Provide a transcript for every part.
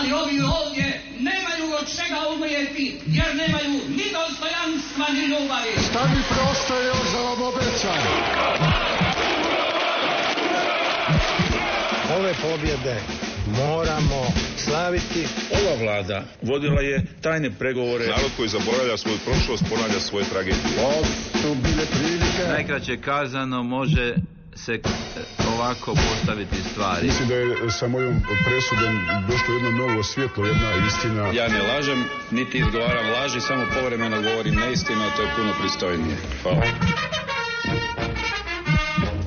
ali ovi ovdje nemaju od čega umrijeti, jer nemaju ni dostojanstva, ni ljubavi. Šta mi preostaje još za vam obećam? Ove pobjede moramo slaviti. Ova vlada vodila je tajne pregovore. Narod koji zaboravlja svoju prošlost ponavlja svoje tragedije. Ovo su bile prilike. Najkraće kazano može se ovako postaviti stvari. Mislim da je sa mojom presudom došlo jedno novo svjetlo, jedna istina. Ja ne lažem, niti izgovaram laži, samo povremeno govorim neistinu, a to je puno pristojnije. Hvala.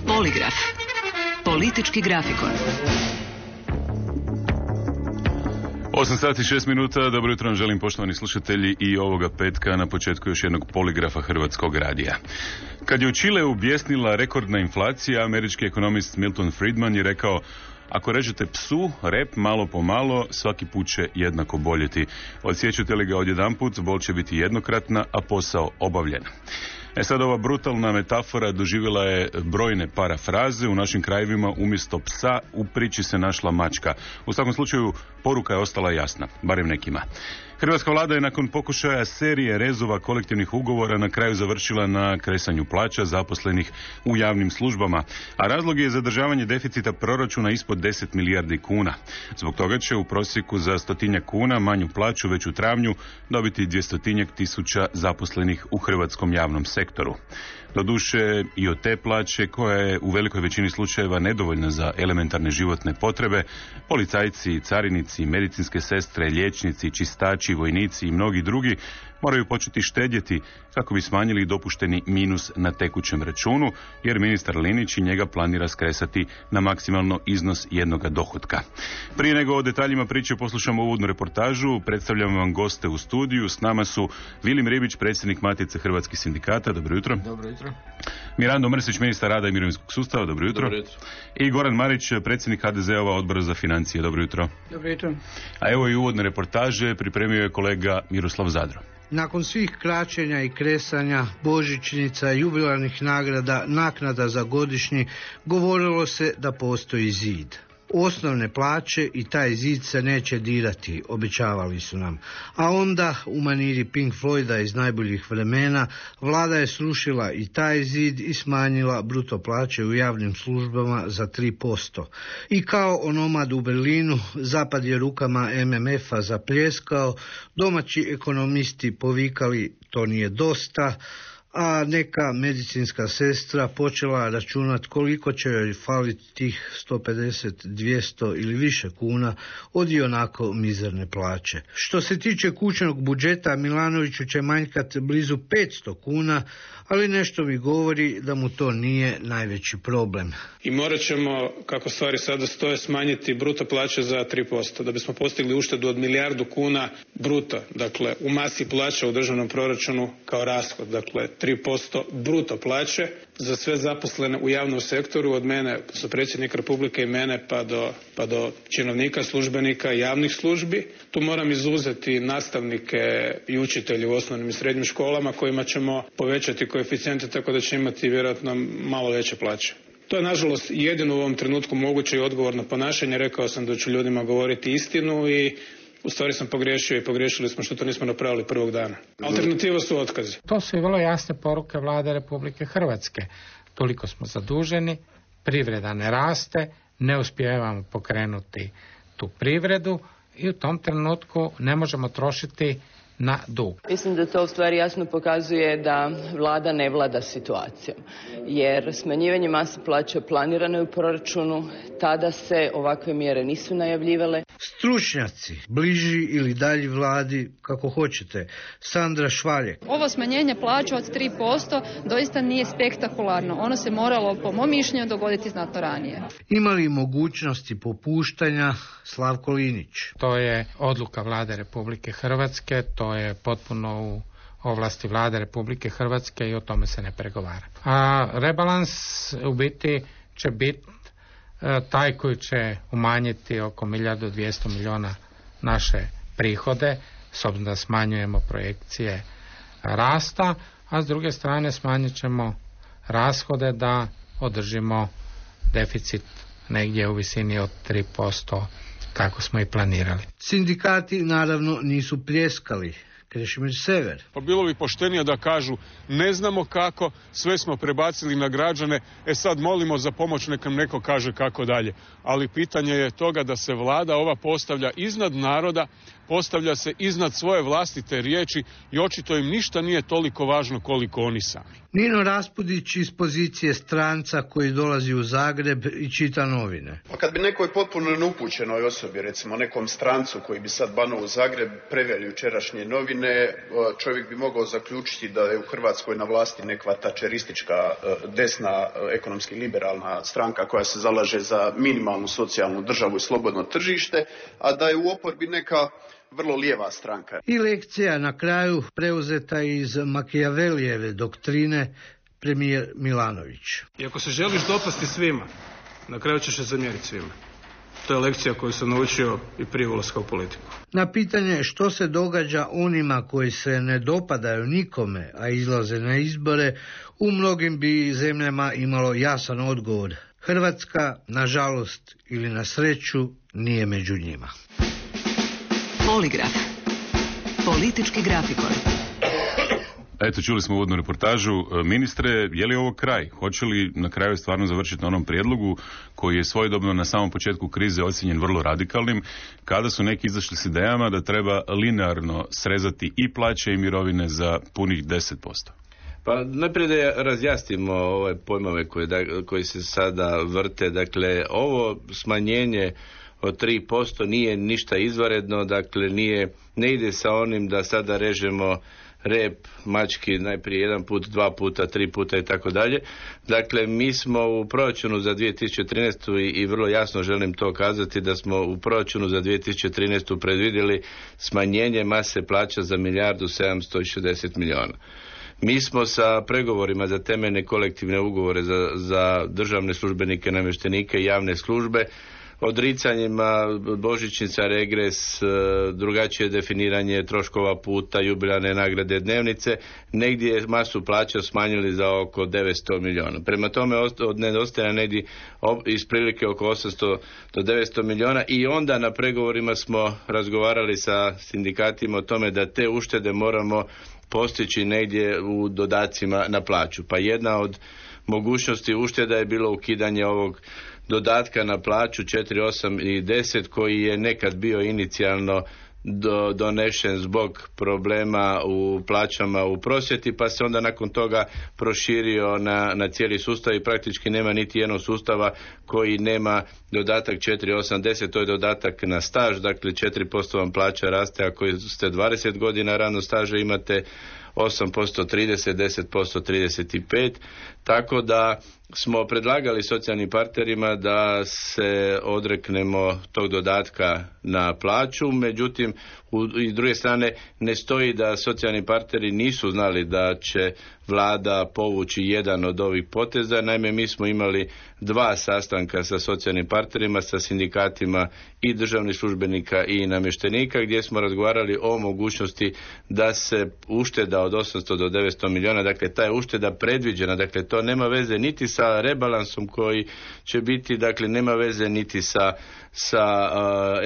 Poligraf. Politički grafikon. 8 sati 6 minuta, dobro jutro vam želim poštovani slušatelji i ovoga petka na početku još jednog poligrafa Hrvatskog radija. Kad je u Čileu bjesnila rekordna inflacija, američki ekonomist Milton Friedman je rekao: ako režete psu, rep malo po malo, svaki put će jednako boljeti. Odsjećate li ga odjedanput, bol će biti jednokratna, a posao obavljen. Sad ova brutalna metafora doživjela je brojne parafraze. U našim krajevima umjesto psa u priči se našla mačka. U svakom slučaju poruka je ostala jasna, barem nekima. Hrvatska vlada je nakon pokušaja serije rezova kolektivnih ugovora na kraju završila na kresanju plaća zaposlenih u javnim službama, a razlog je zadržavanje deficita proračuna ispod 10 milijardi kuna. Zbog toga će u prosjeku za 100 kuna manju plaću već u travnju dobiti 200 tisuća zaposlenih u hrvatskom javnom sektoru. Doduše i od te plaće, koja je u velikoj većini slučajeva nedovoljna za elementarne životne potrebe, policajci, carinici, medicinske sestre, liječnici, čistači, vojnici i mnogi drugi moraju početi štedjeti kako bi smanjili dopušteni minus na tekućem računu, jer ministar Linić i njega planira skresati na maksimalno iznos jednoga dohotka. Prije nego o detaljima priče poslušamo uvodnu reportažu, predstavljam vam goste u studiju. S nama su Vilim Ribić, predsjednik Matice hrvatskih sindikata. Dobro jutro. Dobro jutro. Mirando Mrsić, ministar rada i mirovinskog sustava. Dobro jutro. Dobro jutro. I Goran Marić, predsjednik HDZ-ova odbora za financije. Dobro jutro. Dobro jutro. A evo i uvodne reportaže pripremio je kolega Miroslav Zadro. Nakon svih kraćenja i kresanja, božićnica, jubilarnih nagrada, naknada za godišnji, govorilo se da postoji zid. Osnovne plaće i taj zid se neće dirati, obećavali su nam. A onda, u maniri Pink Floyda iz najboljih vremena, vlada je srušila i taj zid i smanjila bruto plaće u javnim službama za 3%. I kao onomad u Berlinu, zapad je rukama MMF-a zapljeskao, domaći ekonomisti povikali to nije dosta, a neka medicinska sestra počela računati koliko će joj faliti tih 150, 200 ili više kuna od ionako mizerne plaće. Što se tiče kućnog budžeta, Milanoviću će manjkati blizu 500 kuna, ali nešto mi govori da mu to nije najveći problem. I morat ćemo, kako stvari sada stoje, smanjiti bruto plaće za 3%, da bismo postigli uštedu od 1 milijardu kuna bruto, dakle u masi plaća u državnom proračunu kao rashod, dakle 3% bruto plaće za sve zaposlene u javnom sektoru, od mene, su predsjednik Republike i mene, pa do činovnika, službenika, javnih službi. Tu moram izuzeti nastavnike i učitelje u osnovnim i srednjim školama, kojima ćemo povećati koeficijente tako da će imati vjerojatno malo veće plaće. To je nažalost jedino u ovom trenutku moguće i odgovorno ponašanje. Rekao sam da ću ljudima govoriti istinu i u stvari sam pogriješio i pogriješili smo što to nismo napravili prvog dana. Alternativa su otkazi. To su i vrlo jasne poruke vlade Republike Hrvatske. Toliko smo zaduženi, privreda ne raste, ne uspijevamo pokrenuti tu privredu i u tom trenutku ne možemo trošiti na dug. Mislim da to u stvari jasno pokazuje da vlada ne vlada situacijom, jer smanjivanje mase plaća planirano je u proračunu, tada se ovakve mjere nisu najavljivale. Stručnjaci, bliži ili dalji vladi, kako hoćete. Sandra Švaljek. Ovo smanjenje plaća od 3% doista nije spektakularno. Ono se moralo, po mom mišljenju, dogoditi znatno ranije. Imali mogućnosti popuštanja? Slavko Linić. To je odluka vlade Republike Hrvatske, to je potpuno u ovlasti vlade Republike Hrvatske i o tome se ne pregovara. A rebalans u biti će biti taj koji će umanjiti oko 1.200 milijuna naše prihode, s obzirom da smanjujemo projekcije rasta, a s druge strane smanjit ćemo rashode da održimo deficit negdje u visini od 3% kako smo i planirali. Sindikati naravno nisu pljeskali. Krešimir Sever. Pa bilo bi poštenije da kažu ne znamo kako, sve smo prebacili na građane, sad molimo za pomoć, neka nam neko kaže kako dalje. Ali pitanje je toga da se vlada ova postavlja iznad naroda, postavlja se iznad svoje vlastite riječi i očito im ništa nije toliko važno koliko oni sami. Nino Raspudić iz pozicije stranca koji dolazi u Zagreb i čita novine. Pa kad bi nekoj potpuno neupućenoj osobi, recimo nekom strancu koji bi sad banuo u Zagreb, preveli jučerašnje novine, čovjek bi mogao zaključiti da je u Hrvatskoj na vlasti nekva tačeristička desna ekonomski liberalna stranka koja se zalaže za minimalnu socijalnu državu i slobodno tržište, a da je u oporbi neka vrlo lijeva stranka. I lekcija na kraju preuzeta iz Makijavelijeve doktrine, premijer Milanović. I ako se želiš dopasti svima, na kraju ćeš se zamjeriti svima. To je lekcija koju sam naučio i prije ulaska u politiku. Na pitanje što se događa onima koji se ne dopadaju nikome, a izlaze na izbore, u mnogim bi zemljama imalo jasan odgovor. Hrvatska, nažalost ili na sreću, nije među njima. Poligraf. Politički grafikon. Eto, čuli smo uvodnu reportažu. Ministre, je li ovo kraj? Hoće li na kraju stvarno završiti na onom prijedlogu koji je svojedobno na samom početku krize ocijenjen vrlo radikalnim, kada su neki izašli s idejama da treba linearno srezati i plaće i mirovine za punih 10%? Pa najprije da razjasnimo ove pojmove koji se sada vrte. Dakle, ovo smanjenje od 3% nije ništa izvanredno, dakle ne ide sa onim da sada režemo rep mački najprije jedan put, dva puta, tri puta i tako dalje. Dakle, mi smo u proračunu za 2013. i vrlo jasno želim to kazati da smo u proračunu za 2013. predvidjeli smanjenje mase plaća za 1.760 milijuna. Mi smo sa pregovorima za temeljne kolektivne ugovore za državne službenike, namještenike i javne službe, odricanjima božićnica, regres, drugačije definiranje troškova puta, jubilarne nagrade, dnevnice, negdje masu plaća smanjili za oko 900 milijuna. Prema tome nedostaje negdje isprilike oko 800 do 900 milijuna i onda na pregovorima smo razgovarali sa sindikatima o tome da te uštede moramo postići negdje u dodacima na plaću. Pa jedna od mogućnosti ušteda je bilo ukidanje ovog dodatka na plaću 4, 8 i 10 koji je nekad bio inicijalno donešen zbog problema u plaćama u prosvjeti, pa se onda nakon toga proširio na cijeli sustav i praktički nema niti jednog sustava koji nema dodatak 4, 8, 10, to je dodatak na staž, dakle 4% vam plaća raste ako ste 20 godina radnog staža, imate 8% 30, 10% 35, tako da smo predlagali socijalnim partnerima da se odreknemo tog dodatka na plaću, međutim i s druge strane ne stoji da socijalni partneri nisu znali da će vlada povući jedan od ovih poteza. Naime, mi smo imali 2 sastanka sa socijalnim partnerima, sa sindikatima i državnih službenika i namještenika gdje smo razgovarali o mogućnosti da se ušteda od 800 do 900 milijuna, dakle ta je ušteda predviđena, dakle to nema veze niti sa rebalansom koji će biti, dakle nema veze niti sa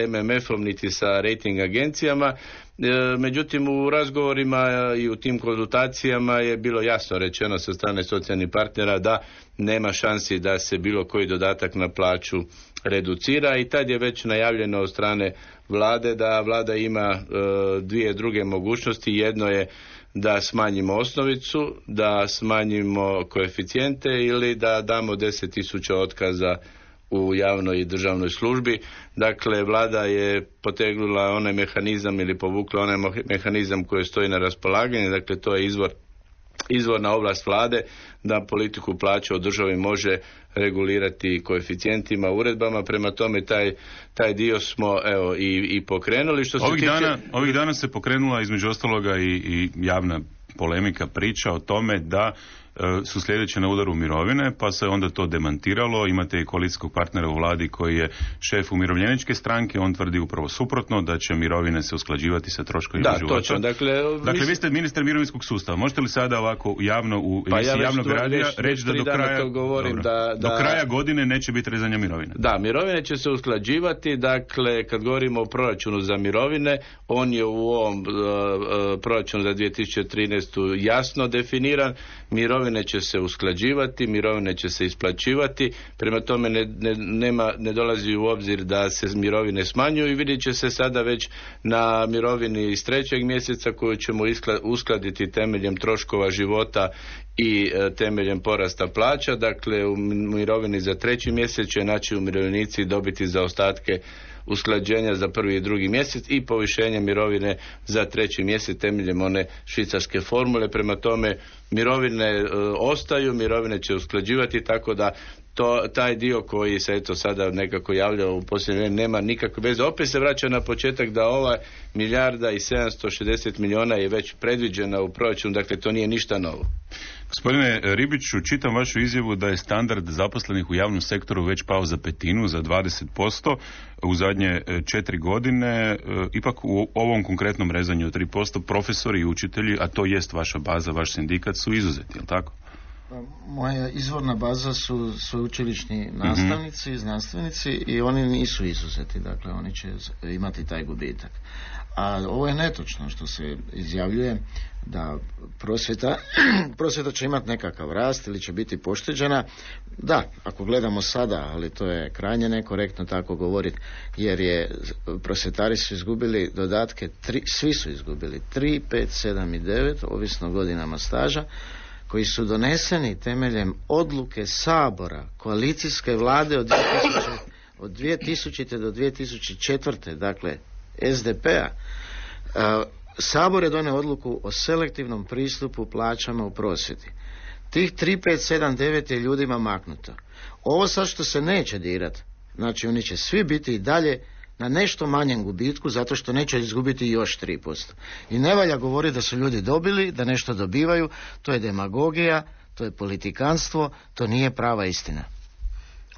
MMF-om niti sa rating agencijama. Međutim, u razgovorima i u tim konzultacijama je bilo jasno rečeno sa strane socijalnih partnera da nema šansi da se bilo koji dodatak na plaću reducira i tad je već najavljeno od strane vlade da vlada ima 2 druge mogućnosti. Jedno je da smanjimo osnovicu, da smanjimo koeficijente ili da damo 10.000 otkaza u javnoj i državnoj službi. Dakle, vlada je potegnula onaj mehanizam ili povukla onaj mehanizam koji stoji na raspolaganju, dakle to je izvorna ovlast vlade da politiku plaća u državi može regulirati koeficijentima, uredbama, prema tome taj dio smo i pokrenuli. Ovih dana se pokrenula između ostaloga i javna polemika, priča o tome da su sljedeće na udaru mirovine, pa se onda to demantiralo. Imate i koalicijskog partnera u vladi koji je šef umirovljeničke stranke, on tvrdi upravo suprotno, da će mirovine se usklađivati sa troškovima života. Točno. Dakle, vi ste ministar mirovinskog sustava. Možete li sada ovako javno u emisiji javnog radija reći da do kraja godine neće biti rezanja mirovina? Da, mirovine će se usklađivati. Dakle, kad govorimo o proračunu za mirovine, on je u ovom proračunu za 2013. jasno definiran. Mirovine će se usklađivati, mirovine će se isplaćivati, prema tome ne dolazi u obzir da se mirovine smanjuju i vidjet će se sada već na mirovini iz 3. mjeseca koju ćemo uskladiti temeljem troškova života i temeljem porasta plaća. Dakle, u mirovini za 3. mjesec će naći umirovljenici dobiti zaostatke usklađenja za 1. i 2. mjesec i povišenje mirovine za 3. mjesec temeljem one švicarske formule. Prema tome, mirovine ostaju, mirovine će usklađivati, tako da taj dio koji se sada nekako javlja u posljednje vrijeme nema nikakve veze. Opet se vraća na početak da ova 1.760 milijuna je već predviđena u proračunu, dakle to nije ništa novo. Gospodine Ribiću, čitam vašu izjavu da je standard zaposlenih u javnom sektoru već pao za 1/5, za 20% u zadnje 4 godine. Ipak u ovom konkretnom rezanju od 3% profesori i učitelji, a to jest vaša baza, vaš sindikat, su izuzeti, je li tako? Moja izvorna baza su sveučilišni nastavnici, znanstvenici i oni nisu izuzeti, dakle oni će imati taj gubitak. A ovo je netočno što se izjavljuje da prosvjeta će imati nekakav rast ili će biti pošteđena. Da, ako gledamo sada, ali to je krajnje nekorektno tako govoriti, jer prosvjetari su izgubili dodatke, svi su izgubili 3, 5, 7 i 9, ovisno godinama staža, koji su doneseni temeljem odluke Sabora, koalicijske vlade od 2000. do 2004. dakle SDP-a. Sabor je donio odluku o selektivnom pristupu plaćama u prosvjeti. Tih 3, 5, 7, 9 je ljudima maknuto. Ovo sad što se neće dirati, znači oni će svi biti i dalje na nešto manjem gubitku, zato što neće izgubiti još 3%. I ne valja govoriti da su ljudi dobili, da nešto dobivaju, to je demagogija, to je politikanstvo, to nije prava istina.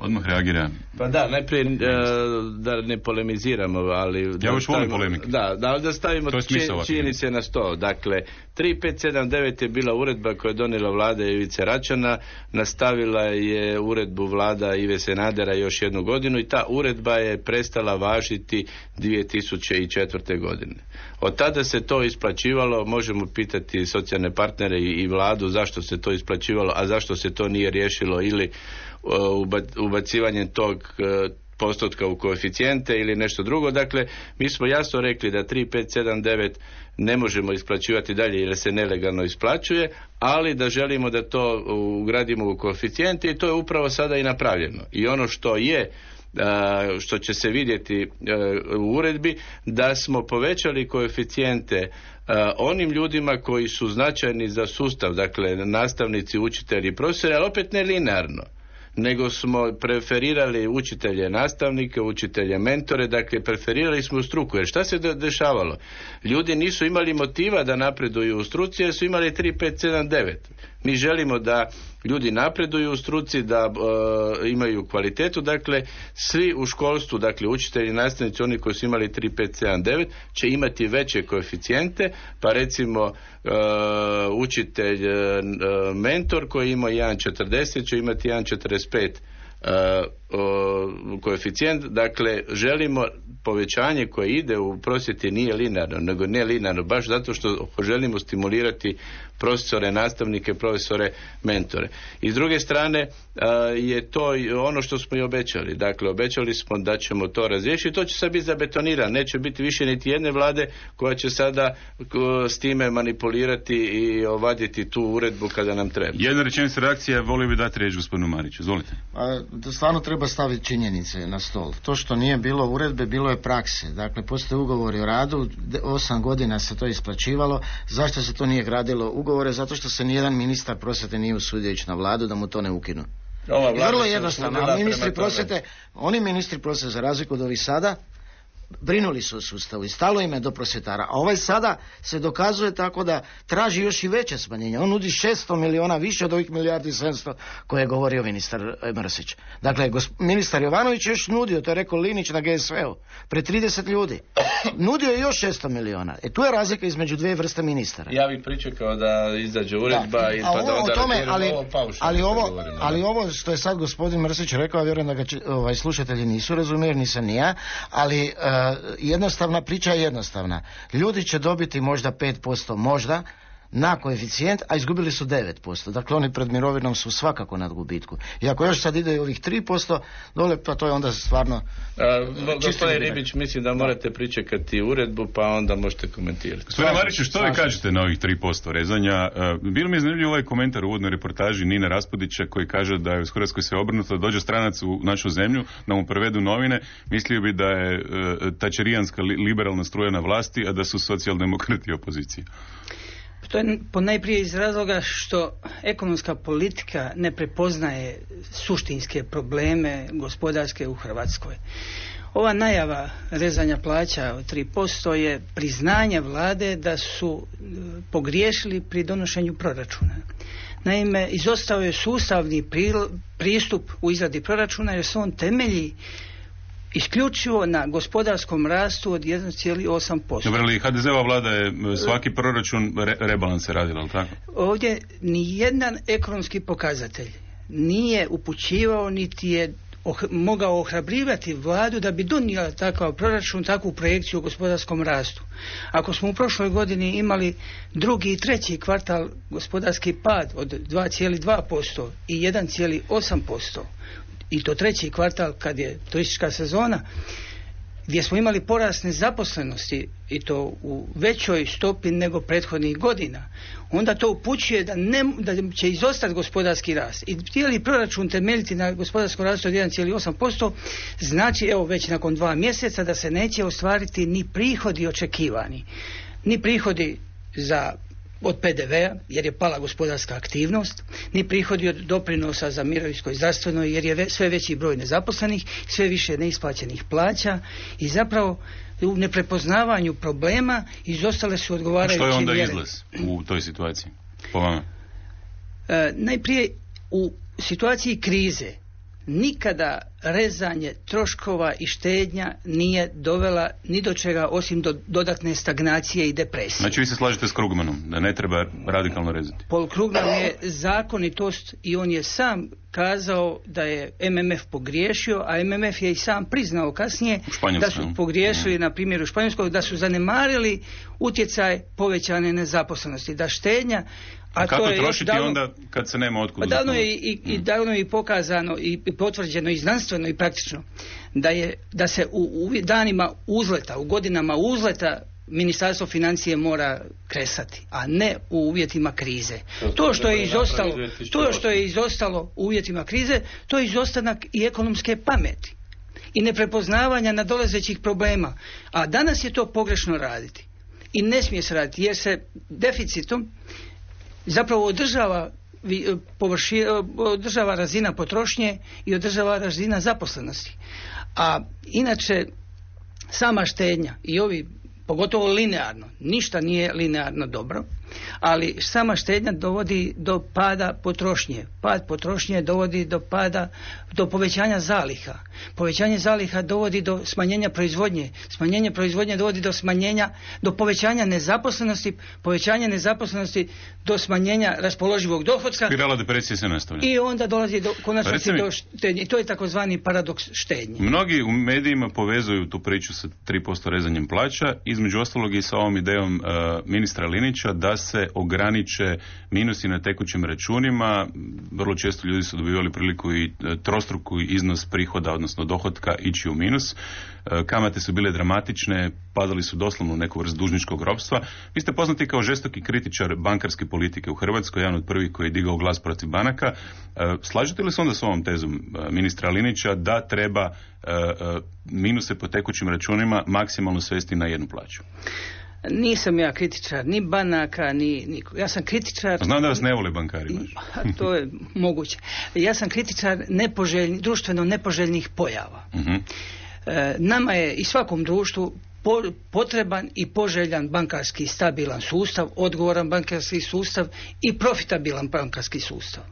Odmah reagira. Pa da, najprije da ne polemiziramo, ali... Ja još volim polemike. Da stavimo činjenice na sto. Dakle, 3579 je bila uredba koja je donijela vlada Ivice Račana, nastavila je uredbu vlada Ive Sanadera još 1 godinu i ta uredba je prestala važiti 2004. godine. Od tada se to isplaćivalo, možemo pitati socijalne partnere i vladu zašto se to isplaćivalo, a zašto se to nije riješilo ili ubacivanjem tog postotka u koeficijente ili nešto drugo. Dakle, mi smo jasno rekli da 3579 ne možemo isplaćivati dalje jer se nelegalno isplaćuje, ali da želimo da to ugradimo u koeficijente i to je upravo sada i napravljeno. I ono što će se vidjeti u uredbi, da smo povećali koeficijente onim ljudima koji su značajni za sustav, dakle nastavnici, učitelji, profesori, ali opet ne linearno, nego smo preferirali učitelje nastavnike, učitelje mentore, dakle preferirali smo struku. Jer šta se dešavalo? Ljudi nisu imali motiva da napreduju u struci jer su imali 3, 5, 7, 9. Mi želimo da ljudi napreduju u struci, da imaju kvalitetu, dakle svi u školstvu, dakle učitelji, nastavnici, oni koji su imali 3, 5, 7, 9 će imati veće koeficijente, pa recimo učitelj mentor koji ima 1,40 će imati 1,45 koeficijent. Dakle, želimo povećanje koje ide u prosvjeti nije linearno, nego ne linearno, baš zato što želimo stimulirati profesore, nastavnike, profesore, mentore. I s druge strane je to ono što smo i obećali. Dakle, obećali smo da ćemo to razriješiti. To će sad biti zabetonirano. Neće biti više niti jedne vlade koja će sada s time manipulirati i ovaditi tu uredbu kada nam treba. Jedna rečenica reakcija, volio bi dati riječ gospodinu Mariću. Izvolite. Stvarno treba staviti činjenice na stol. To što nije bilo uredbe, bilo je prakse. Dakle, postoje ugovori o radu, 8 godina se to isplaćivalo. Zašto se to nije gradilo ugovore? Zato što se nijedan ministar prosvjete nije usudio ići na vladu da mu to ne ukinu. Vrlo jednostavno. A oni ministri prosvjete za razliku od ovih sada brinuli su o sustavu i stalo im je do prosvjetara, a ovaj sada se dokazuje tako da traži još i veće smanjenje. On nudi 600 miliona više od ovih 1,7 koje je govorio ministar Mrsić. Dakle, ministar Jovanović je još nudio, to je rekao Linić na GSV-u, pred 30 ljudi. Nudio je još 600 miliona. Tu je razlika između dvije vrste ministara. Ja bih pričekao da izađe uredba i pa da onda ali ovo što je sad gospodin Mrsić rekao, vjerujem da ga slušatelji nisu razumjeli, nisam ni ja, ali jednostavna priča je jednostavna. Ljudi će dobiti možda 5%, možda, na koeficijent, a izgubili su 9%. Dakle, oni pred mirovinom su svakako nad gubitku. I ako još sad ide ovih 3% dole, pa to je onda stvarno... Gospodin Ribić, mislim da morate pričekati uredbu, pa onda možete komentirati. Gospodine Mariću, što vi kažete na ovih 3% rezanja? Bilo mi je zanimljiv ovaj komentar u uvodnoj reportaži Nine Raspudića koji kaže da je u Hrvatskoj sve obrnuto, da dođe stranac u našu zemlju, da mu prevedu novine, mislio bi da je tačerijanska liberalna struja na vlasti, a da su socijaldemokrati opozicija. To je ponajprije iz razloga što ekonomska politika ne prepoznaje suštinske probleme gospodarske u Hrvatskoj. Ova najava rezanja plaća od 3% je priznanje vlade da su pogriješili pri donošenju proračuna. Naime, izostao je sustavni pristup u izradi proračuna jer se on temelji isključivo na gospodarskom rastu od 1,8%. Dobro, ali HDZ-ova vlada je svaki proračun rebalans je radila, ali tako? Ovdje nijedan ekonomski pokazatelj nije upućivao niti je mogao ohrabrivati vladu da bi donijela takav proračun, takvu projekciju u gospodarskom rastu. Ako smo u prošloj godini imali drugi i treći kvartal gospodarski pad od 2,2% i 1,8%, i to treći kvartal kad je turistička sezona, gdje smo imali porast nezaposlenosti i to u većoj stopi nego prethodnih godina, onda to upućuje da će izostati gospodarski rast. I htjeli proračun temeljiti na gospodarskom rastu od 1,8%, znači evo već nakon 2 mjeseca da se neće ostvariti ni prihodi očekivani, ni prihodi od PDV-a jer je pala gospodarska aktivnost, ni prihodi od doprinosa za mirovinsko i zdravstveno jer je sve veći broj nezaposlenih, sve više neisplaćenih plaća i zapravo u neprepoznavanju problema izostale su odgovarajuće mjere. Što je onda izlaz u toj situaciji po vama? Najprije u situaciji krize nikada rezanje troškova i štednja nije dovela ni do čega osim do dodatne stagnacije i depresije. Znači vi se slažete s Krugmanom da ne treba radikalno rezati? Paul Krugman je zakonitost i on je sam kazao da je MMF pogriješio, a MMF je i sam priznao kasnije da su pogriješili na primjeru Španjolskog, da su zanemarili utjecaj povećane nezaposlenosti, da štednja. A kako to je trošiti onda kad se nema otkud? Davno je i davno je pokazano i potvrđeno i znanstveno i praktično da se u danima uzleta, u godinama uzleta Ministarstvo financije mora kresati, a ne u uvjetima krize. To što je izostalo u uvjetima krize, to je izostanak i ekonomske pameti i neprepoznavanja nadolazećih problema. A danas je to pogrešno raditi. I ne smije se raditi jer se deficitom zapravo održava razina potrošnje i održava razina zaposlenosti. A inače sama štednja i ovi, pogotovo linearno, ništa nije linearno dobro, ali sama štednja dovodi do pada potrošnje. Pad potrošnje dovodi do povećanja zaliha. Povećanje zaliha dovodi do smanjenja proizvodnje. Smanjenje proizvodnje dovodi do povećanja nezaposlenosti. Povećanje nezaposlenosti do smanjenja raspoloživog dohotka. Spirala depresije se nastavlja. I onda dolazi do konačnosti do štednje. To je takozvani paradoks štednje. Mnogi u medijima povezuju tu priču sa 3% rezanjem plaća, između ostalog i sa ovom idejom ministra Linića da se ograniče minusi na tekućim računima. Vrlo često ljudi su dobivali priliku i trostruku iznos prihoda, odnosno dohotka, ići u minus. Kamate su bile dramatične, padali su doslovno u neku vrstu dužničkog ropstva. Vi ste poznati kao žestoki kritičar bankarske politike u Hrvatskoj, jedan od prvih koji je digao glas protiv banaka. Slažete li se onda s ovom tezom ministra Linića da treba minuse po tekućim računima maksimalno svesti na jednu plaću? Nisam ja kritičar ni banaka, ni ja sam kritičar. Znam da vas ne vole bankari. To je moguće. Ja sam kritičar društveno nepoželjnih pojava. Nama je i svakom društvu potreban i poželjan bankarski stabilan sustav, odgovoran bankarski sustav i profitabilan bankarski sustav.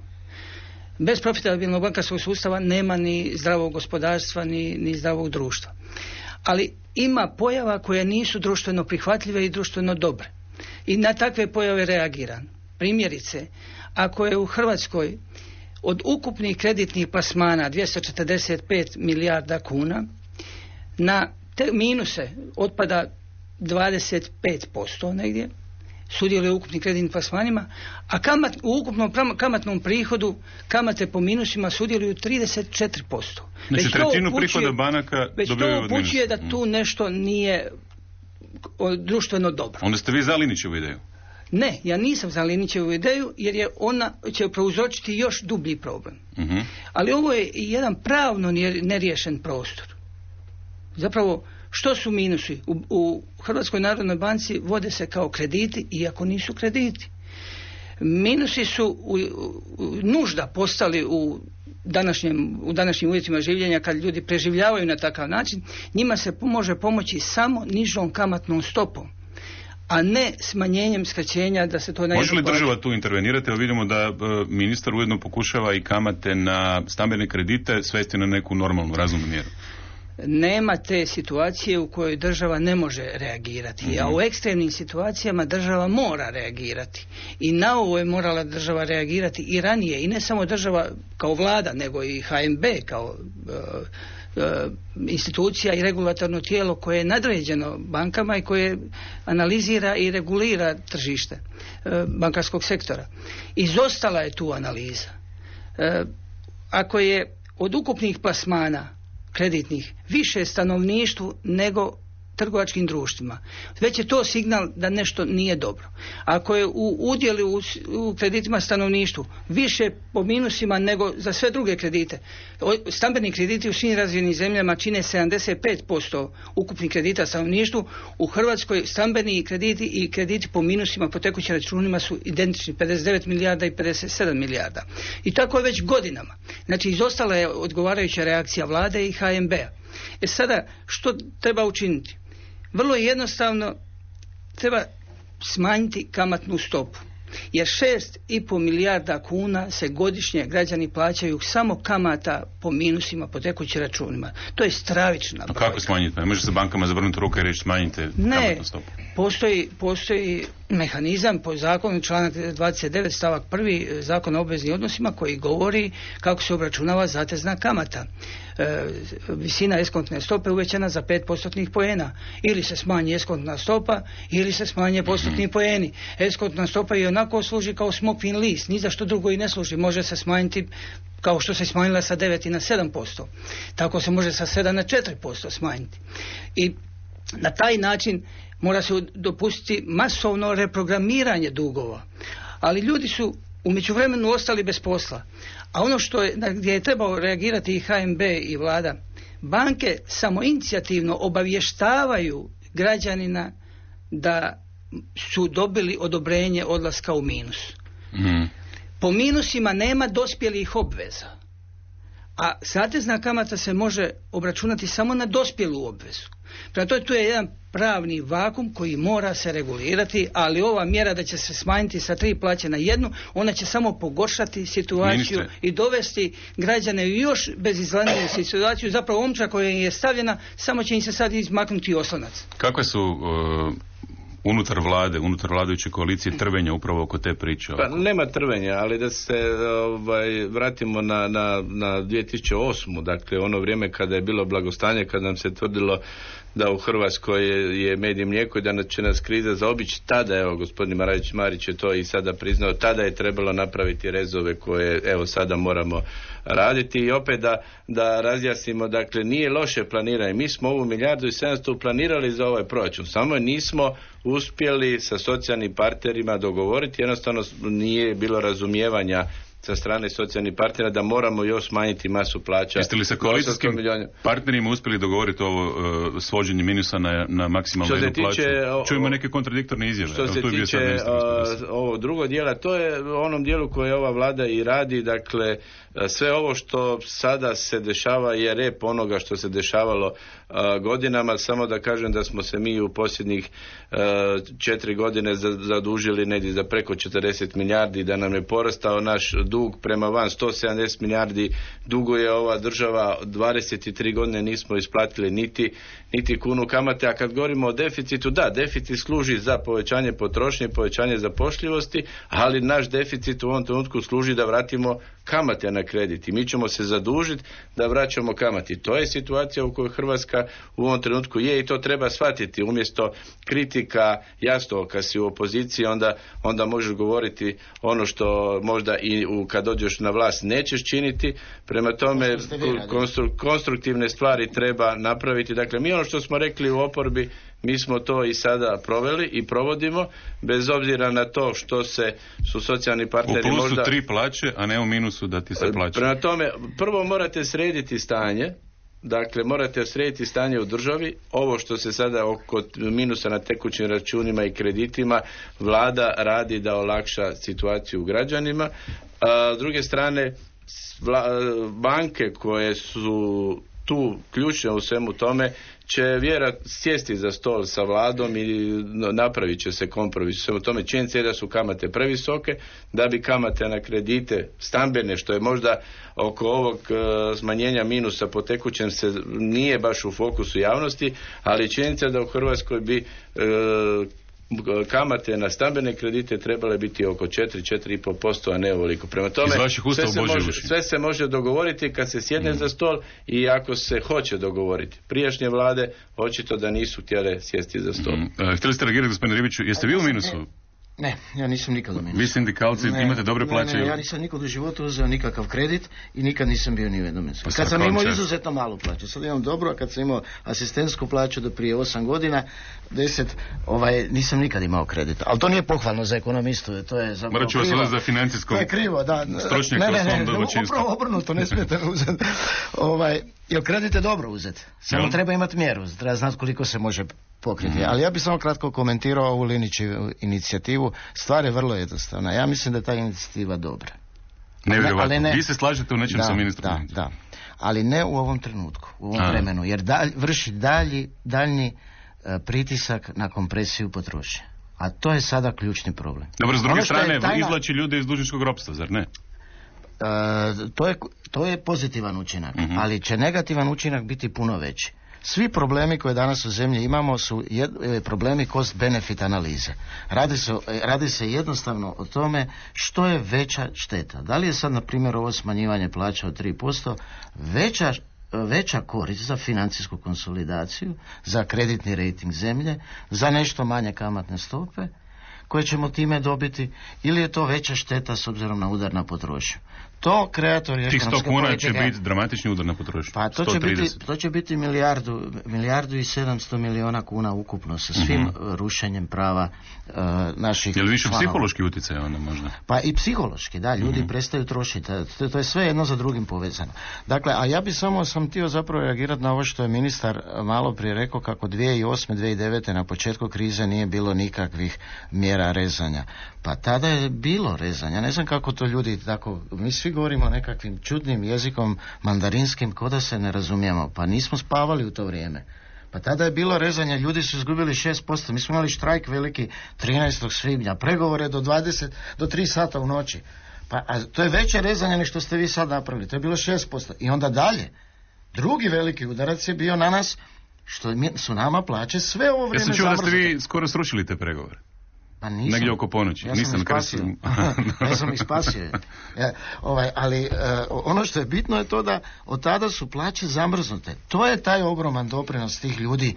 Bez profitabilnog bankarskog sustava nema ni zdravog gospodarstva, ni zdravog društva. Ali ima pojava koje nisu društveno prihvatljive i društveno dobre. I na takve pojave reagiran. Primjerice, ako je u Hrvatskoj od ukupnih kreditnih plasmana 245 milijarda kuna, na te minuse otpada 25% negdje, sudjeluje u ukupnim kreditnim plasmanima, a u ukupnom kamatnom prihodu kamate po minusima sudjeluju 34%. Znači trećinu prihoda banaka dobivaju od minusa. Već to upućuje da tu nešto nije društveno dobro. Onda ste vi za Linićevu ideju? Ne, ja nisam za Linićevu ideju jer je ona će prouzročiti još dublji problem. Ali ovo je jedan pravno neriješen prostor. Zapravo, što su minusi? U Hrvatskoj narodnoj banci vode se kao krediti, iako nisu krediti. Minusi su nužda postali u današnjim uvjetima življenja, kad ljudi preživljavaju na takav način. Njima se može pomoći samo nižom kamatnom stopom, a ne smanjenjem skraćenja da se to... Može li država tu intervenirati? Evo vidimo da ministar ujedno pokušava i kamate na stambene kredite svesti na neku normalnu, razumnu mjeru. Nema te situacije u kojoj država ne može reagirati, a u ekstremnim situacijama država mora reagirati. I na ovo je morala država reagirati i ranije, i ne samo država kao vlada, nego i HNB kao institucija i regulatorno tijelo koje je nadređeno bankama i koje analizira i regulira tržište bankarskog sektora. Izostala je tu analiza. Ako je od ukupnih plasmana kreditnih više stanovništvu nego trgovačkim društvima, već je to signal da nešto nije dobro. Ako je u udjelu u kreditima stanovništvu više po minusima nego za sve druge kredite, stambeni krediti u svim razvijenim zemljama čine 75% ukupnih kredita stanovništvu, u Hrvatskoj stambeni krediti i krediti po minusima po tekućim računima su identični, 59 milijarda i 57 milijarda. I tako je već godinama. Znači, izostala je odgovarajuća reakcija vlade i HNB-a. Sada, što treba učiniti? Vrlo jednostavno, treba smanjiti kamatnu stopu. Jer 6,5 milijarda kuna se godišnje građani plaćaju samo kamata po minusima, po tekućim računima. To je stravična brojka. A kako smanjiti? Ne može se bankama zavrnuti ruke i reći smanjite kamatnu stopu? Postoji mehanizam po zakonu, članak 29 stavak 1 Zakona o obveznim odnosima, koji govori kako se obračunava zatezna kamata. Visina eskontne stope uvećana za 5% poena. Ili se smanji eskontna stopa, ili se smanje postotni poeni. Eskontna stopa i onako služi kao smokvin list, ni za što drugo i ne služi. Može se smanjiti kao što se smanjila sa 9 na 7%. Tako se može sa 7 na 4% smanjiti. I na taj način mora se dopustiti masovno reprogramiranje dugova. Ali ljudi su u međuvremenu ostali bez posla. A ono gdje je trebao reagirati i HNB i vlada, banke samoinicijativno obavještavaju građanina da su dobili odobrenje odlaska u minus. Po minusima nema dospjelih obveza. A zatezna kamata se može obračunati samo na dospjelu obvezu. Prema tome, tu je jedan pravni vakum koji mora se regulirati, ali ova mjera da će se smanjiti sa 3 plaće na 1, ona će samo pogoršati situaciju i dovesti građane u još bezizlazniju situaciju. Zapravo omča koja je stavljena, samo će im se sad izmaknuti oslonac. Kakve su unutar vlade, unutar vladajuće koalicije trvenja upravo oko te priče? Pa nema trvenja, ali da se vratimo na 2008. Dakle, ono vrijeme kada je bilo blagostanje, kada nam se tvrdilo da u Hrvatskoj je med i mlijeko i da će nas kriza zaobići, tada, evo, gospodin Marić je to i sada priznao, tada je trebalo napraviti rezove koje, evo, sada moramo raditi. I opet da razjasnimo, dakle, nije loše planiranje. Mi smo ovu 1,7 milijardu planirali za ovaj proračun, samo nismo uspjeli sa socijalnim partnerima dogovoriti, jednostavno nije bilo razumijevanja sa strane socijalnih partnera da moramo još smanjiti masu plaća. Jeste li sa koalicijskim partnerima uspjeli dogovoriti ovo svođenje minusa na maksimalnu jednu plaću? Čujemo neke kontradiktorne izjave. Što se tiče ovog drugog dijela, to je u onom dijelu koje ova vlada i radi, dakle sve ovo što sada se dešava je rep onoga što se dešavalo godinama, samo da kažem da smo se mi u posljednjih 4 godine zadužili negdje za preko 40 milijardi, da nam je porastao naš dug prema van 170 milijardi, duguje ova država, 23 godine nismo isplatili niti kunu kamate, a kad govorimo o deficitu, da, deficit služi za povećanje potrošnje, povećanje zapošljivosti, ali naš deficit u ovom trenutku služi da vratimo kamate na kredit i mi ćemo se zadužiti da vraćamo kamati. To je situacija u kojoj Hrvatska u ovom trenutku je i to treba shvatiti. Umjesto kritika, jasno, kad si u opoziciji onda možeš govoriti ono što možda i kad dođeš na vlast nećeš činiti. Prema tome konstruktivne stvari treba napraviti. Dakle, mi ono što smo rekli u oporbi, mi smo to i sada proveli i provodimo, bez obzira na to što su socijalni partneri možda... U plusu 3 plaće, a ne u minusu da ti se plaća. Prema tome, prvo morate srediti stanje, dakle morate srediti stanje u državi. Ovo što se sada oko minusa na tekućim računima i kreditima, vlada radi da olakša situaciju građanima. S druge strane, banke koje su tu ključne u svemu tome će vjerojatno sjesti za stol sa vladom i napravit će se kompromis u svemu tome. Činjenica je da su kamate previsoke, da bi kamate na kredite stambene, što je možda oko ovog smanjenja minusa po tekućem se nije baš u fokusu javnosti, ali činjenica je da u Hrvatskoj bi kamate na stambene kredite trebale biti oko 4,5%, a ne ovoliko. Prema tome, sve se može dogovoriti kad se sjedne za stol i ako se hoće dogovoriti. Prijašnje vlade očito da nisu htjele sjesti za stol. Htjeli ste reagirati, gospodine Ribiću, jeste vi u minusu? Ne, ja nisam nikad u minusu. Vi sindikalci imate dobre plaće? Ne, ja nisam nikad u životu uzeo nikakav kredit i nikad nisam bio ni u jednom minusu. Kad sam imao izuzetno malu plaću, sad imam dobro, a kad sam imao asistentsku plaću do prije 8 godina, 10, nisam nikad imao kredit. Ali to nije pohvalno za ekonomistu, to je zapravo morat ću vas uzeti za financijsko. To je krivo, da. Upravo obrnuto, ne smijete uzeti. Jer kredit je dobro uzeti. Samo treba imati mjeru, treba znati koliko se može pokriti. Ali ja bih samo kratko komentirao ovu Linićevu inicijativu. Stvar je vrlo jednostavna. Ja mislim da je ta inicijativa dobra. Nevjerovatno. Vi se slažete u nečem sa ministrom? Da. Ali ne u ovom trenutku, u ovom vremenu. Jer vrši daljnji pritisak na kompresiju potrošnje. A to je sada ključni problem. Dobro, s druge strane, izvlači ljude iz dužničkog ropstva, zar ne? To je pozitivan učinak, ali će negativan učinak biti puno veći. Svi problemi koje danas u zemlji imamo su problemi cost-benefit analize. Radi se jednostavno o tome što je veća šteta. Da li je sad, na primjer, ovo smanjivanje plaća od 3% veća korist za financijsku konsolidaciju, za kreditni rejting zemlje, za nešto manje kamatne stope koje ćemo time dobiti, ili je to veća šteta s obzirom na udar na potrošnju. To kreatori ekonomske politike... Tih 100 kuna će biti dramatični udar na potrošnju. Pa to će biti milijardu i 700 milijuna kuna ukupno sa svim rušenjem prava naših je li više psihološki utjecaj onda možda? Pa i psihološki, da, ljudi prestaju trošiti. To je sve jedno za drugim povezano. Dakle, a ja bi sam htio zapravo reagirati na ovo što je ministar malo prije rekao, kako 2008. 2009. na početku krize nije bilo nikakvih mjera rezanja. Pa tada je bilo rezanja. Ne znam kako to ljudi tako... Mi svi govorimo nekakvim čudnim jezikom mandarinskim, ko da se ne razumijemo. Pa nismo spavali u to vrijeme. Pa tada je bilo rezanje, ljudi su izgubili 6%. Mi smo imali štrajk veliki 13. svibnja, pregovore do 3 sata u noći. A to je veće rezanje nego što ste vi sad napravili. To je bilo 6%. I onda dalje. Drugi veliki udarac je bio na nas, što su nama plaće sve ovo vrijeme zamrznute. Ja sam čuo da ste vi skoro srušili te pregovore. Pa nisam. Negdje oko ponoći. Ja sam ih spasio. Ali ono što je bitno je to da od tada su plaće zamrznute. To je taj ogroman doprinos tih ljudi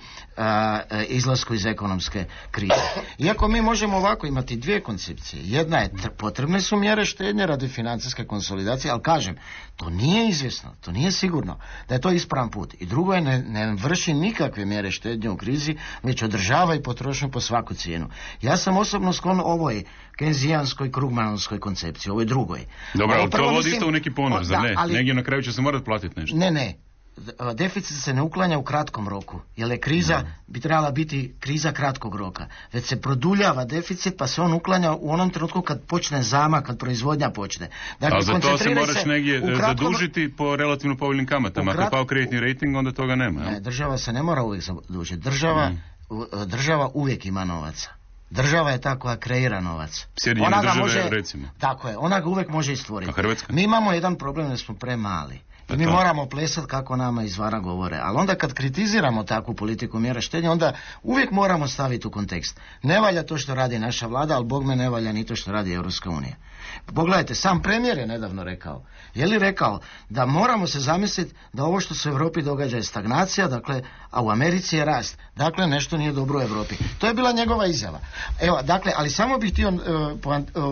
izlasku iz ekonomske krize. Iako mi možemo ovako imati dvije koncepcije. Jedna je, potrebne su mjere štednje radi financijske konsolidacije, ali kažem, to nije izvjesno, to nije sigurno da je to ispravan put. I drugo je, ne vrši nikakve mjere štednje u krizi, već održava i potrošnju po svaku cijenu. Ja sam osobno sklon ovoj kenzijanskoj, krugmanovskoj koncepciji, ovoj drugoj. Dobro, ali to vodi isto u neki ponor, zar ne? Ali, negdje na kraju će se morati platiti nešto. Ne. Deficit se ne uklanja u kratkom roku, jer je kriza bi trebala biti kriza kratkog roka, već se produljava deficit pa se on uklanja u onom trenutku kad počne zamah, kad proizvodnja počne. Dakle, a za to se moraš negdje zadužiti po relativno povoljnim kamatama. Ako je pao kreditni rating, onda toga nema. Ne, država se ne mora uvijek zadužiti. Država uvijek ima novaca. Država je ta koja kreira novac. Sjedinjene države, recimo. Tako je, ona ga uvijek može i stvoriti. A Hrvatska? Mi imamo jedan problem da smo premali. I mi moramo plesati kako nama izvana govore. Ali onda kad kritiziramo takvu politiku mjera štednje, onda uvijek moramo staviti u kontekst. Ne valja to što radi naša vlada, ali bogme ne valja ni to što radi Europska unija. Pogledajte, sam premijer je nedavno rekao. Je li rekao da moramo se zamisliti da ovo što se u Europi događa je stagnacija, dakle, a u Americi je rast. Dakle, nešto nije dobro u Europi. To je bila njegova izjava. Evo, dakle, ali samo bih htio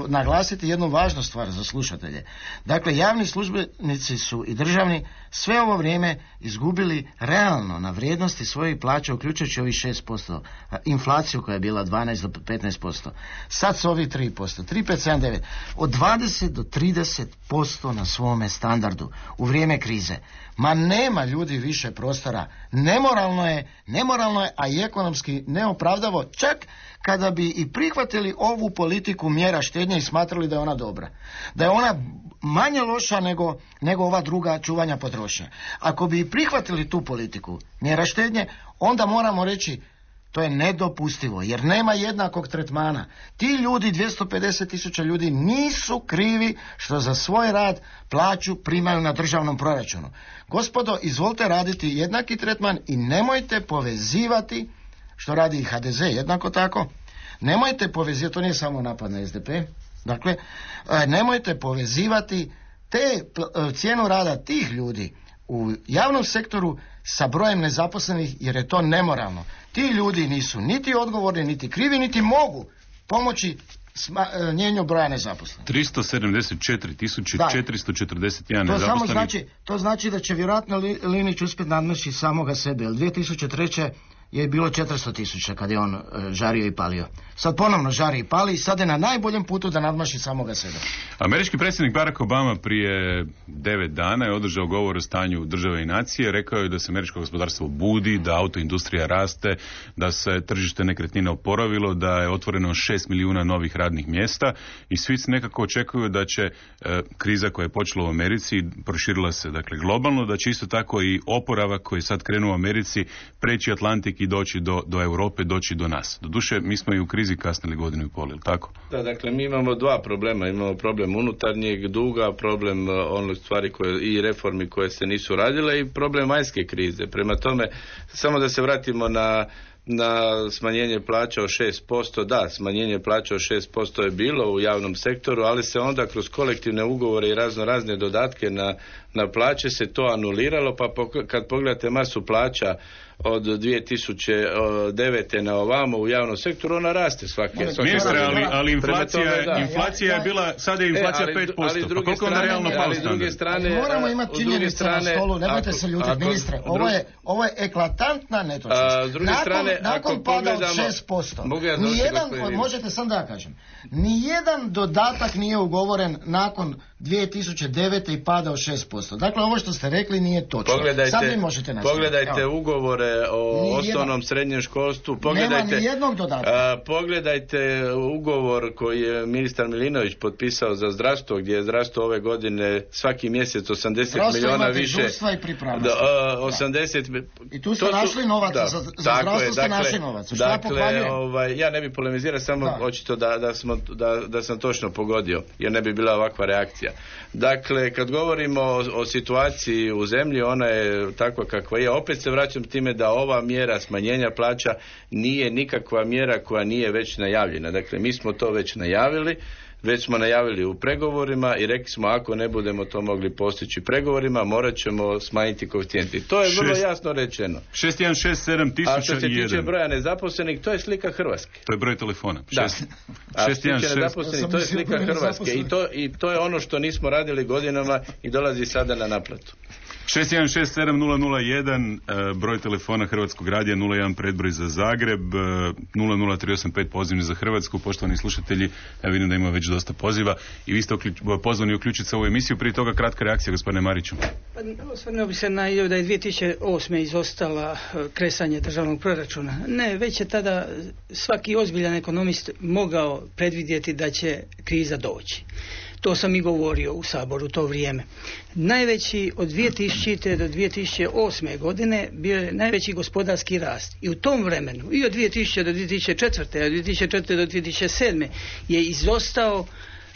naglasiti jednu važnu stvar za slušatelje. Dakle, javni službenici su i državni sve ovo vrijeme izgubili realno na vrijednosti svojih plaća, uključujući ovih 6%, inflaciju koja je bila 12 do 15%. Sad su ovi 3%, 3,579, od 20 do 30% na svome standardu u vrijeme krize. Ma nema ljudi više prostora. Nemoralno je, a i ekonomski neopravdavo, čak kada bi i prihvatili ovu politiku mjera štednje i smatrali da je ona dobra. Da je ona manje loša nego ova druga čuvanja potrošnje. Ako bi i prihvatili tu politiku mjera štednje, onda moramo reći to je nedopustivo, jer nema jednakog tretmana. Ti ljudi, 250.000 ljudi, nisu krivi što za svoj rad plaću primaju na državnom proračunu. Gospodo, izvolite raditi jednaki tretman i nemojte povezivati, što radi i HDZ jednako tako, nemojte povezivati, to nije samo napad na SDP, dakle, nemojte povezivati cijenu rada tih ljudi u javnom sektoru sa brojem nezaposlenih, jer je to nemoralno. Ti ljudi nisu niti odgovorni, niti krivi, niti mogu pomoći smanjenju broja nezaposlenih. 374.441 nezaposlenih. To znači da će vjerojatno Linić uspjeti nadmašiti samoga sebe, jer 2003. je bilo 400.000 kad je on žario i palio. Sad ponovno žari i pali i sad je na najboljem putu da nadmaši samoga sebe. Američki predsjednik Barack Obama prije 9 dana je održao govor o stanju države i nacije. Rekao je da se američko gospodarstvo budi, da autoindustrija raste, da se tržište nekretnina oporavilo, da je otvoreno 6 milijuna novih radnih mjesta i svi nekako očekuju da će kriza koja je počela u Americi, proširila se dakle globalno, da će isto tako i oporavak koji je sad krenuo u Americi preći Atlantik i doći do Europe, doći do nas. Doduše, mi smo i u krizi kasnili godinu i pol, ili tako? Da, dakle, mi imamo dva problema. Imamo problem unutarnjeg duga, problem onih stvari i reformi koje se nisu radile i problem vanjske krize. Prema tome, samo da se vratimo na smanjenje plaća od 6%, da, smanjenje plaća od 6% je bilo u javnom sektoru, ali se onda kroz kolektivne ugovore i razne dodatke na plaće se to anuliralo, pa kad pogledate masu plaća od 2009. na ovamo u javnom sektoru, ona raste svake Ministre, ali inflacija je bila, sada je inflacija 5%, pa koliko ona realno pala standard? Moramo imati činjenice na stolu, nemojte se ljutiti, ministre, ovo je eklatantna netočnost. Nakon pada od 6%, možete sam da kažem, nijedan dodatak nije ugovoren nakon 2009. i pada od 6%. Dakle, ovo što ste rekli nije točno. Sad vi možete nastaviti. Pogledajte ugovore o osnovnom srednjem školstvu. Nema ni jednog dodatka. Pogledajte ugovor koji je ministar Milinović potpisao za zdravstvo, gdje je zdravstvo ove godine svaki mjesec 80 milijuna više. I tu ste našli novac, za zdravstvo ste našli novac. Ja ne bih polemizirao, samo očito da sam točno pogodio, jer ne bi bila ovakva reakcija. Dakle, kad govorimo o situaciji u zemlji, ona je takva kakva je. Opet se vraćam time da ova mjera smanjenja plaća nije nikakva mjera koja nije već najavljena. Dakle, mi smo to već najavili. Već smo najavili u pregovorima i rekli smo ako ne budemo to mogli postići pregovorima, morat ćemo smanjiti koeficijenti. To je vrlo jasno rečeno. 6167.001. A što se tiče broja nezaposlenih, to je slika Hrvatske. To je broj telefona. Da. A što se tiče nezaposlenih, to je slika Hrvatske. I to je ono što nismo radili godinama i dolazi sada na naplatu. 616701 broj telefona Hrvatskog radija, 01 predbroj za Zagreb, 00385 pozivni za Hrvatsku. Poštovani slušatelji, ja vidim da ima već dosta poziva i vi ste pozvani uključiti se u ovu emisiju. Prije toga kratka reakcija, gospodine Mariću. Osvrnuo bi se na da je 2008. izostala kresanje državnog proračuna. Ne, već je tada svaki ozbiljan ekonomist mogao predvidjeti da će kriza doći. To sam i govorio u Saboru u to vrijeme. Najveći od 2000. do 2008. godine bio je najveći gospodarski rast. I u tom vremenu, i od 2000. do 2004. a od 2004. do 2007. je izostao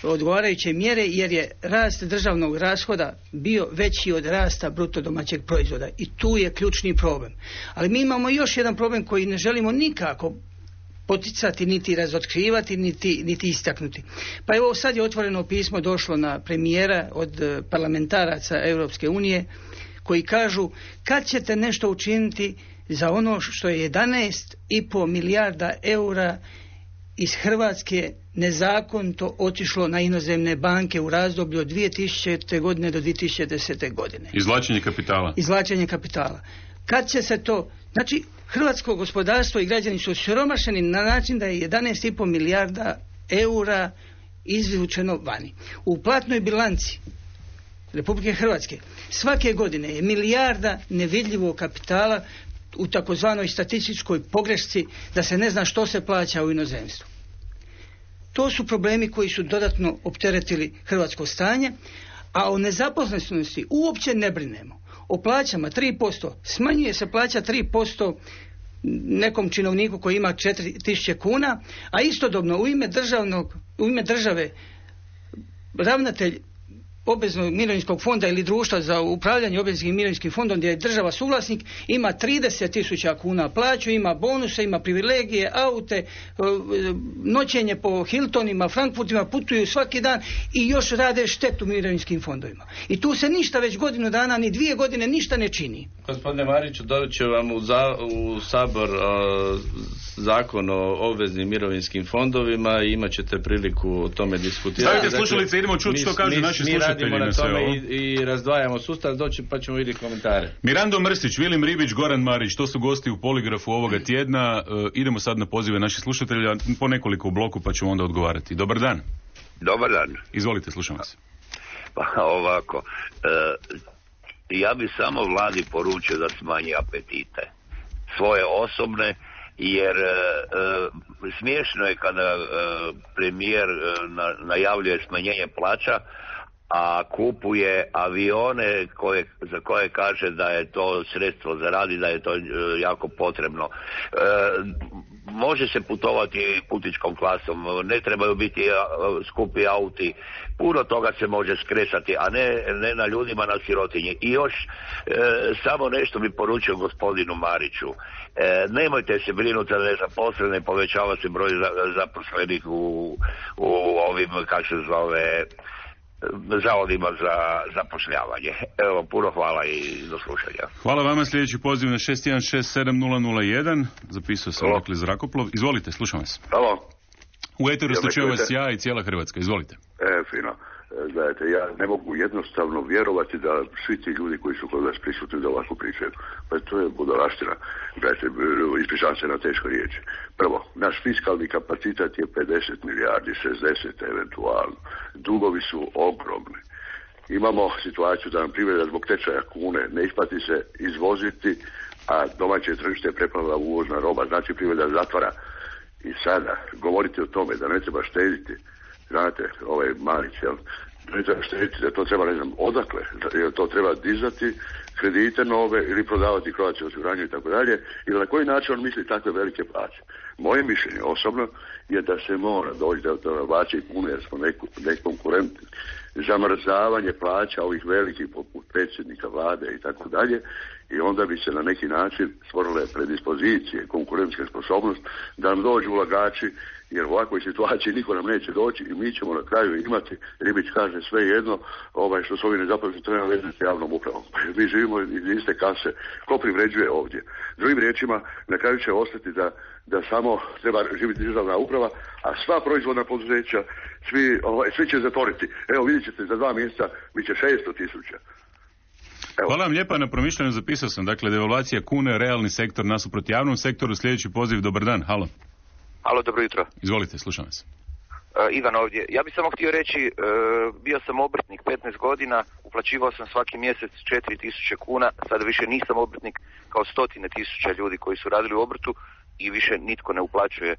odgovarajuće mjere jer je rast državnog rashoda bio veći od rasta bruto domaćeg proizvoda. I tu je ključni problem. Ali mi imamo još jedan problem koji ne želimo nikako poticati, niti razotkrivati, niti istaknuti. Pa evo sad je otvoreno pismo došlo na premijera od parlamentaraca Europske unije koji kažu kad ćete nešto učiniti za ono što je 11,5 milijarda eura iz Hrvatske nezakonito otišlo na inozemne banke u razdoblju od 2000. godine do 2010. godine. Izvlačenje kapitala. Kad će se to... Znači, hrvatsko gospodarstvo i građani su siromašeni na način da je 11,5 milijarda eura izvučeno vani. U platnoj bilanci Republike Hrvatske svake godine je milijarda nevidljivog kapitala u takozvanoj statističkoj pogrešci da se ne zna što se plaća u inozemstvu. To su problemi koji su dodatno opteretili hrvatsko stanje, a o nezaposlenosti uopće ne brinemo. O plaćama 3%, smanjuje se plaća 3% nekom činovniku koji ima 4.000 kuna, a istodobno u ime države ravnatelj obveznog mirovinskog fonda ili društva za upravljanje obveznim mirovinskim fondom gdje je država suvlasnik ima 30.000 kuna plaću, ima bonuse, ima privilegije, aute, noćenje po Hiltonima, Frankfurtima, putuju svaki dan i još rade štetu mirovinskim fondovima. I tu se ništa već godinu dana ni 2 godine ništa ne čini. Gospodine Mariću, doće vam u Sabor zakon o obveznim mirovinskim fondovima i imat ćete priliku o tome diskutirati. Stavite slušalice, idemo čuti što kažu naši slušatelji. Mi radimo na tome i razdvajamo sustav, doći pa ćemo vidjeti komentare. Mirando Mrsić, Vilim Ribić, Goran Marić, to su gosti u Poligrafu ovoga tjedna. Idemo sad na pozive naših slušatelja, po nekoliko u bloku pa ćemo onda odgovarati. Dobar dan. Dobar dan. Izvolite, slušam vas. Pa ovako, ja bi samo vladi poručio da smanji apetite. Svoje osobne, jer smiješno je kada premijer najavljuje smanjenje plaća, a kupuje avione za koje kaže da je to sredstvo za rad i da je to jako potrebno. Može se putovati putničkom klasom, ne trebaju biti skupi auti, puno toga se može skresati, a ne na ljudima, na sirotinji. I još samo nešto bi poručio gospodinu Mariću. Nemojte se brinuti za nezaposlene, povećava se broj zaposlenih u ovim, kako se zove, zavodima za zapošljavanje. Evo, puno hvala i do slušanja. Hvala vama, sljedeći poziv na 616701, zapisao sam dakle zrakoplov. Izvolite, slušam vas. Halo. U eteru ste čuje vas ja i cijela Hrvatska, izvolite. Fino. Gledajte, ja ne mogu jednostavno vjerovati da svi ti ljudi koji su kod vas prisutni da ovako pričaju. Pa to je budalaština. Gledajte, ispričavam se na teško riječi. Prvo, naš fiskalni kapacitet je 50 milijardi, 60 eventualno. Dugovi su ogromni. Imamo situaciju da nam privreda zbog tečaja kune ne isplati se izvoziti, a domaće tržište je preplavila uvozna roba, znači privreda zatvara. I sada govoriti o tome da ne treba štediti, znate, ovaj Marić, jel? Ne treba štediti, da to treba, ne znam, odakle, jer to treba dizati kredite nove ili prodavati Croatia osiguranju i tako dalje, ili na koji način on misli takve velike plaće. Moje mišljenje osobno je da se mora doći do plaće i pune, jer smo nekonkurentni. Zamrzavanje plaća ovih velikih poput predsjednika vlade i tako dalje, i onda bi se na neki način stvorile predispozicije, konkurentska sposobnost da nam dođu ulagači, jer u ovakvoj situaciji niko nam neće doći i mi ćemo na kraju imati, Ribić kaže sve jedno, što su ovi nezaposleni treba vezati s javnom upravom. Mi živimo iz iste kase, ko privređuje ovdje? Drugim riječima, na kraju će ostati da samo treba živjeti državna uprava, a sva proizvodna poduzeća, svi će zatvoriti. Evo vidjet ćete, za 2 mjeseca bit će 600.000. Evo. Hvala vam lijepa na promišljanju, zapisao sam. Dakle, devalvacija kune, realni sektor nasuprot javnom sektoru. Sljedeći poziv, dobar dan, halo. Halo, dobro jutro. Izvolite, slušam vas. Ivan ovdje. Ja bih samo htio reći, bio sam obrtnik 15 godina, uplaćivao sam svaki mjesec 4.000 kuna, sada više nisam obrtnik kao stotine tisuća ljudi koji su radili u obrtu i više nitko ne uplaćuje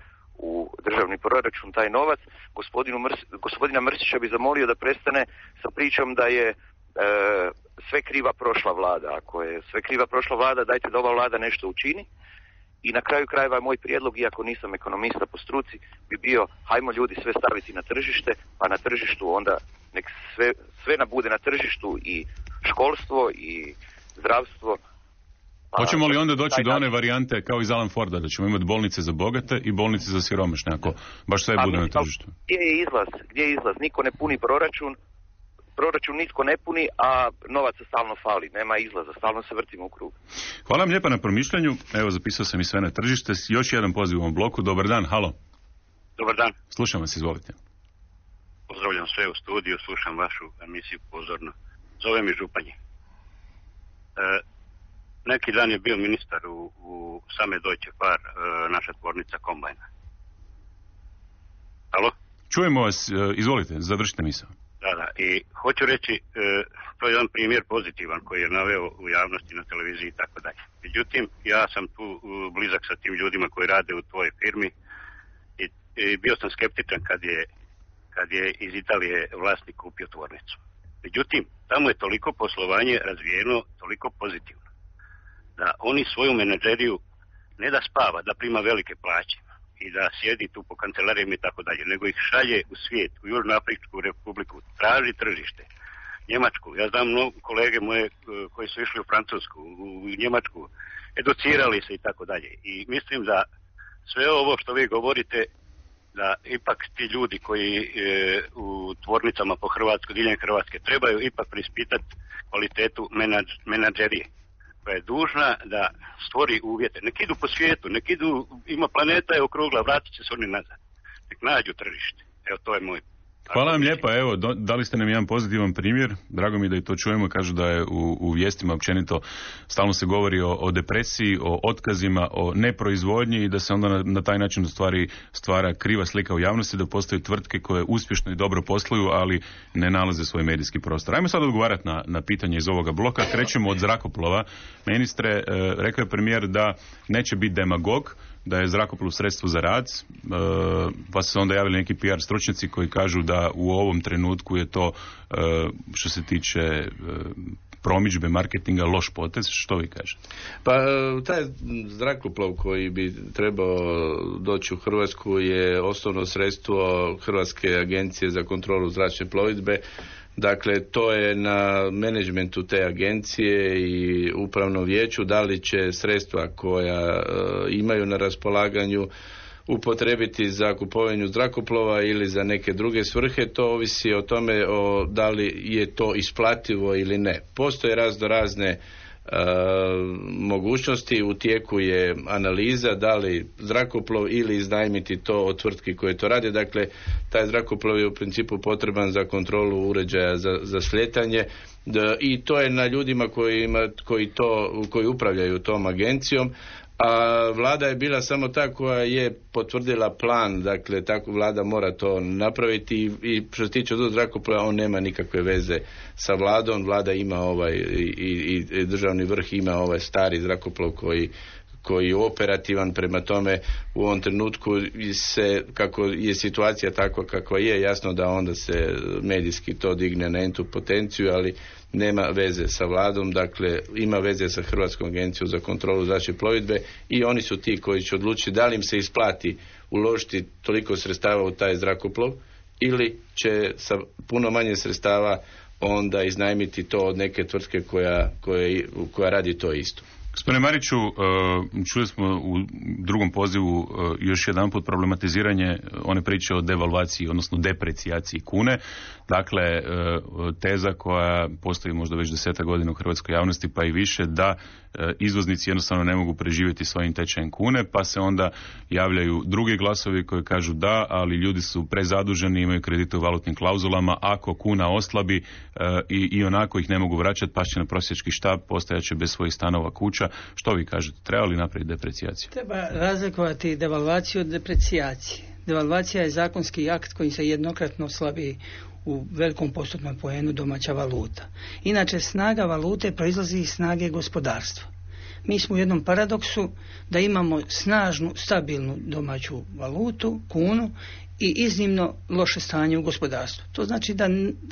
u državni proračun taj novac. Gospodina Mrsića bi zamolio da prestane sa pričom da je sve kriva prošla vlada. Ako je sve kriva prošla vlada, dajte da ova vlada nešto učini. I na kraju krajeva moj prijedlog, iako nisam ekonomista po struci, bi bio hajmo ljudi sve staviti na tržište, pa na tržištu onda nek sve bude na tržištu i školstvo i zdravstvo. Hoćemo li onda doći do one varijante kao iz Alan Forda, da ćemo imati bolnice za bogate i bolnice za siromašne, ako baš sve bude na tržištu? Gdje je izlaz? Niko ne puni proračun nitko ne puni, a novaca stalno fali, nema izlaza, stalno se vrtimo u krug. Hvala vam lijepa na promišljanju, evo zapisao sam i sve na tržište, još jedan poziv u ovom bloku, dobar dan, halo. Dobar dan. Slušam vas, izvolite. Pozdravljam sve u studiju, slušam vašu emisiju pozorno. Zove mi Županje. Neki dan je bio ministar u same Deutsche Fahr, naša tvornica kombajna. Halo? Čujemo vas, izvolite, završite misao. Da, i hoću reći, to je jedan primjer pozitivan koji je naveo u javnosti, na televiziji i tako dalje. Međutim, ja sam tu blizak sa tim ljudima koji rade u tvojoj firmi i bio sam skeptičan kad je iz Italije vlasnik kupio tvornicu. Međutim, tamo je toliko poslovanje razvijeno, toliko pozitivno, da oni svoju menadžeriju ne da spava, da prima velike plaće i da sjedi tu po kancelarijama i tako dalje, nego ih šalje u svijet, u Južnoafričku republiku, traži tržište, Njemačku. Ja znam kolege moje koji su išli u Francusku, u Njemačku, educirali se i tako dalje. I mislim da sve ovo što vi govorite, da ipak ti ljudi koji u tvornicama po Hrvatskoj, diljem Hrvatske, trebaju ipak prispitati kvalitetu menadžerije, koja je dužna da stvori uvjete. Nek idu po svijetu, nek idu, ima planeta je okrugla, vratit će se oni nazad. Nek nađu tržište. Evo, to je moj. Hvala vam lijepa, evo, dali ste nam jedan pozitivan primjer, drago mi da i to čujemo, kažu da je u vijestima općenito stalno se govori o depresiji, o otkazima, o neproizvodnji i da se onda na taj način stvara kriva slika u javnosti, da postoje tvrtke koje uspješno i dobro posluju, ali ne nalaze svoj medijski prostor. Ajmo sad odgovarati na pitanje iz ovoga bloka, krećemo od zrakoplova. Ministre, rekao je premijer da neće biti demagog, da je zrakoplov sredstvo za rad, pa su se onda javili neki PR stručnjaci koji kažu da u ovom trenutku je to, što se tiče promidžbe, marketinga, loš potez. Što vi kažete? Pa taj zrakoplov koji bi trebao doći u Hrvatsku je osnovno sredstvo Hrvatske agencije za kontrolu zračne plovidbe. Dakle, to je na menadžmentu te agencije i upravnom vijeću da li će sredstva koja imaju na raspolaganju upotrebiti za kupovanje zrakoplova ili za neke druge svrhe, to ovisi o tome da li je to isplativo ili ne. Postoje razne mogućnosti, u tijeku je analiza da li zrakoplov ili iznajmiti to od tvrtki koje to rade. Dakle, taj zrakoplov je u principu potreban za uređaja za slijetanje i to je na ljudima koji upravljaju tom agencijom. A vlada je bila samo ta koja je potvrdila plan, dakle tako vlada mora to napraviti i što se tiče od zrakoplova on nema nikakve veze sa vladom. Vlada ima i državni vrh ima ovaj stari zrakoplov koji je operativan, prema tome u ovom trenutku kako je situacija takva kakva je, jasno da onda se medijski to digne na entu potenciju, ali nema veze sa vladom, dakle ima veze sa Hrvatskom agencijom za kontrolu zračne plovidbe i oni su ti koji će odlučiti da li im se isplati uložiti toliko sredstava u taj zrakoplov ili će sa puno manje sredstava onda iznajmiti to od neke tvrtke koja radi to isto. Gospodine Mariću, čuli smo u drugom pozivu još jedan put problematiziranje one priče o devalvaciji, odnosno deprecijaciji kune. Dakle, teza koja postoji možda već 10 godina u hrvatskoj javnosti, pa i više, da izvoznici jednostavno ne mogu preživjeti svojim tečajem kune, pa se onda javljaju drugi glasovi koji kažu da, ali ljudi su prezaduženi, imaju kredite u valutnim klauzulama, ako kuna oslabi i onako ih ne mogu vraćati, pašće na prosjački štap, postajaće bez svojih stanova, kuća. Što vi kažete, treba li napraviti deprecijaciju? Treba razlikovati devalvaciju od deprecijacije. Devalvacija je zakonski akt kojim se jednokratno slabi u velikom postotnom poenu domaća valuta. Inače, snaga valute proizlazi iz snage gospodarstva. Mi smo u jednom paradoksu da imamo snažnu, stabilnu domaću valutu, kunu, i iznimno loše stanje u gospodarstvu. To znači da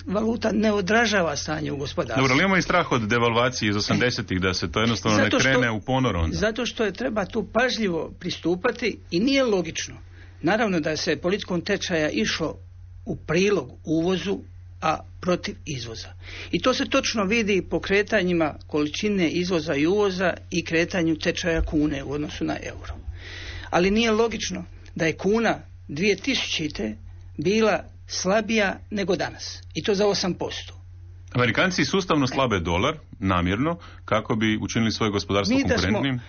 valuta ne odražava stanje u gospodarstvu. Dobro, ali imamo i strah od devalvacije iz 80-ih, da se to jednostavno ne krene u ponor onda. Zato što je treba tu pažljivo pristupati i nije logično. Naravno da se politikom tečaja išlo u prilog uvozu, a protiv izvoza. I to se točno vidi po kretanjima količine izvoza i uvoza i kretanju tečaja kune u odnosu na euro. Ali nije logično da je kuna 2000. bila slabija nego danas. I to za 8%. Amerikanci sustavno slabe dolar, namjerno, kako bi učinili svoje gospodarstvo konkurentnim.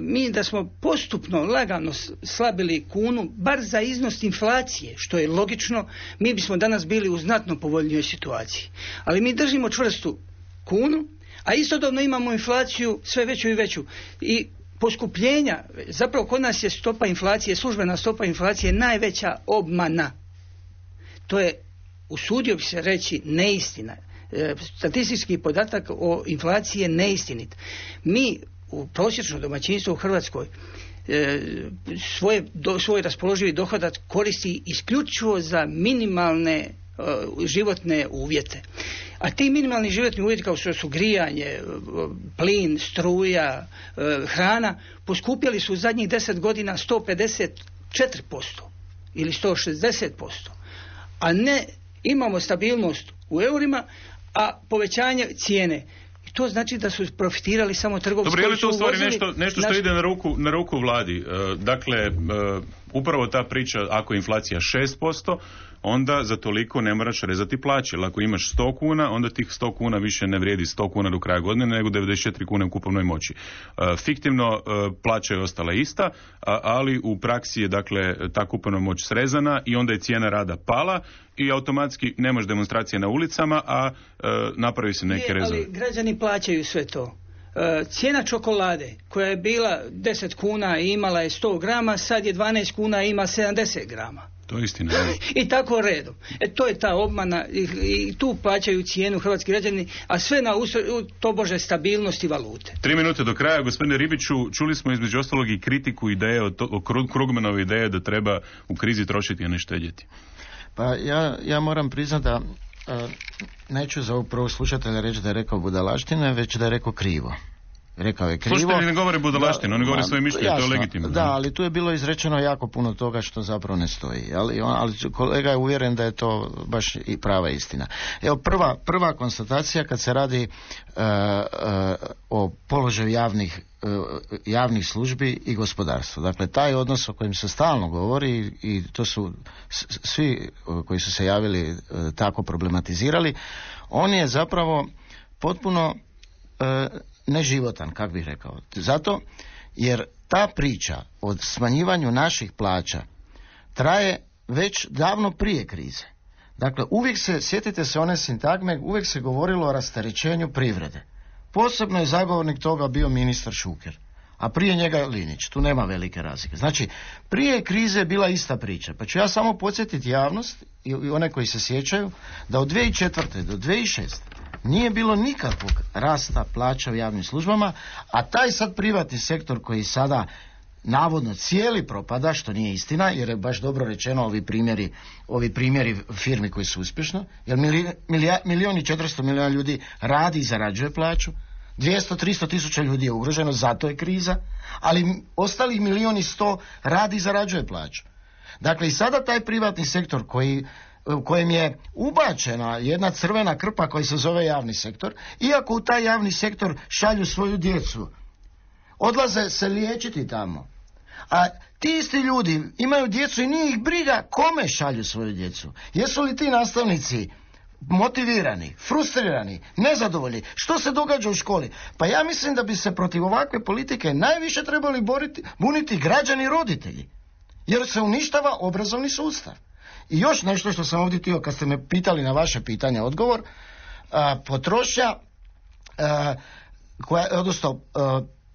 Mi da smo postupno, lagano slabili kunu, bar za iznos inflacije, što je logično, mi bismo danas bili u znatno povoljnijoj situaciji. Ali mi držimo čvrstu kunu, a istodobno imamo inflaciju sve veću i veću. I poskupljenja, zapravo kod nas je stopa inflacije, službena stopa inflacije najveća obmana. To je, usudio bi se reći, neistina. Statistički podatak o inflaciji je neistinit. Mi u prosječno domaćinstvo u Hrvatskoj svoj raspoloživi dohodak koristi isključivo za minimalne životne uvjete. A ti minimalni životni uvjeti kao što su grijanje, plin, struja, hrana, poskupjeli su u zadnjih 10 godina 154% ili 160%. A ne imamo stabilnost u eurima, a povećanje cijene. I to znači da su profitirali samo trgovci. Dobro, je li to u stvari nešto što ide na ruku vladi? Dakle, upravo ta priča, ako je inflacija 6%, onda za toliko ne moraš rezati plaće. Ali ako imaš 100 kuna, onda tih 100 kuna više ne vrijedi 100 kuna do kraja godine, nego 94 kune u kupovnoj moći. Fiktivno plaća je ostala ista, ali u praksi je dakle ta kupovna moć srezana i onda je cijena rada pala i automatski nemaš demonstracije na ulicama, a napravi se neke rezove. Ali građani plaćaju sve to. Cijena čokolade koja je bila 10 kuna i imala je 100 grama, sad je 12 kuna i ima 70 grama. To je istina. I tako redom. To je ta obmana i tu plaćaju cijenu hrvatski građani, a sve na tobože stabilnosti valute. 3 minute do kraja. Gospodine Ribiću, čuli smo između ostalog i kritiku ideje o Krugmanove ideje da treba u krizi trošiti, a ne štedjeti. Pa ja moram priznati da neću za ovog prvog slušatelja reći da je rekao budalaštine, već da je rekao krivo. Rekao je krivo. Slušatelji ne govore budalaštinu, oni govore svoje mišljenje, to je legitimno. Da, ali tu je bilo izrečeno jako puno toga što zapravo ne stoji. Ali kolega je uvjeren da je to baš i prava istina. Evo, prva konstatacija kad se radi o položaju javnih službi i gospodarstva. Dakle, taj odnos o kojem se stalno govori i to su svi koji su se javili tako problematizirali, on je zapravo potpuno neživotan, kako bih rekao. Zato jer ta priča o smanjivanju naših plaća traje već davno prije krize. Dakle, uvijek sjetite se one sintagme, uvijek se govorilo o rasterećenju privrede. Posebno je zagovornik toga bio ministar Šuker, a prije njega Linić. Tu nema velike razlike. Znači, prije krize je bila ista priča. Pa ću ja samo podsjetiti javnost i one koji se sjećaju da od 2004. do 2006. nije bilo nikakvog rasta plaća u javnim službama, a taj sad privatni sektor koji sada navodno cijeli propada, što nije istina, jer je baš dobro rečeno ovi primjeri firmi koji su uspješno, jer 1.400.000 milijuna ljudi radi i zarađuje plaću, 200-300 tisuća ljudi je ugroženo, zato je kriza, ali ostalih 1.100.000 radi i zarađuje plaću. Dakle, i sada taj privatni sektor koji kojim je ubačena jedna crvena krpa koja se zove javni sektor, iako u taj javni sektor šalju svoju djecu, odlaze se liječiti tamo. A ti isti ljudi imaju djecu i nije ih briga kome šalju svoju djecu. Jesu li ti nastavnici motivirani, frustrirani, nezadovoljni? Što se događa u školi? Pa ja mislim da bi se protiv ovakve politike najviše trebali buniti građani i roditelji. Jer se uništava obrazovni sustav. I još nešto što sam ovdje htio, kad ste me pitali na vaše pitanje odgovor, potrošnja, odnosno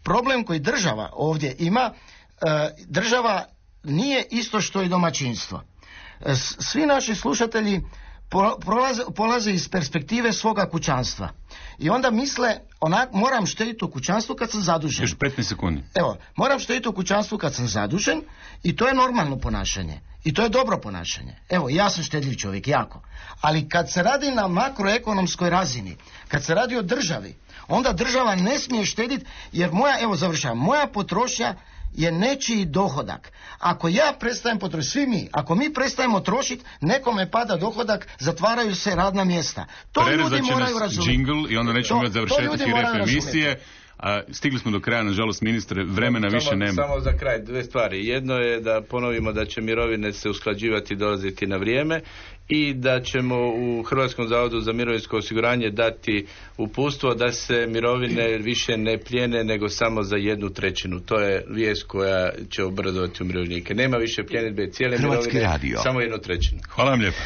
problem koji država ovdje ima, država nije isto što i domaćinstvo. Svi naši slušatelji polaze iz perspektive svoga kućanstva. I onda misle, moram štediti u kućanstvu kad sam zadužen. Još 15 sekundi. Evo, moram štediti u kućanstvu kad sam zadužen i to je normalno ponašanje. I to je dobro ponašanje. Evo, ja sam štedljiv čovjek, jako. Ali kad se radi na makroekonomskoj razini, kad se radi o državi, onda država ne smije štediti, jer moja potrošnja je nečiji dohodak. Ako ja prestajem potrošiti, svi mi, ako mi prestajemo trošiti, nekome pada dohodak, zatvaraju se radna mjesta. To ljudi moraju razumjeti. Džingl i onda nećemo imati završetak i rep emisije. Stigli smo do kraja, nažalost, ministre, vremena više nema. Samo za kraj dve stvari. Jedno je da ponovimo da će mirovine se usklađivati i dolaziti na vrijeme i da ćemo u Hrvatskom zavodu za mirovinsko osiguranje dati uputstvo da se mirovine više ne plijene nego samo za 1/3. To je vijest koja će obradovati umirovljenike. Nema više pljenidbe cijele mirovine, samo 1/3. Hvala vam lijepo.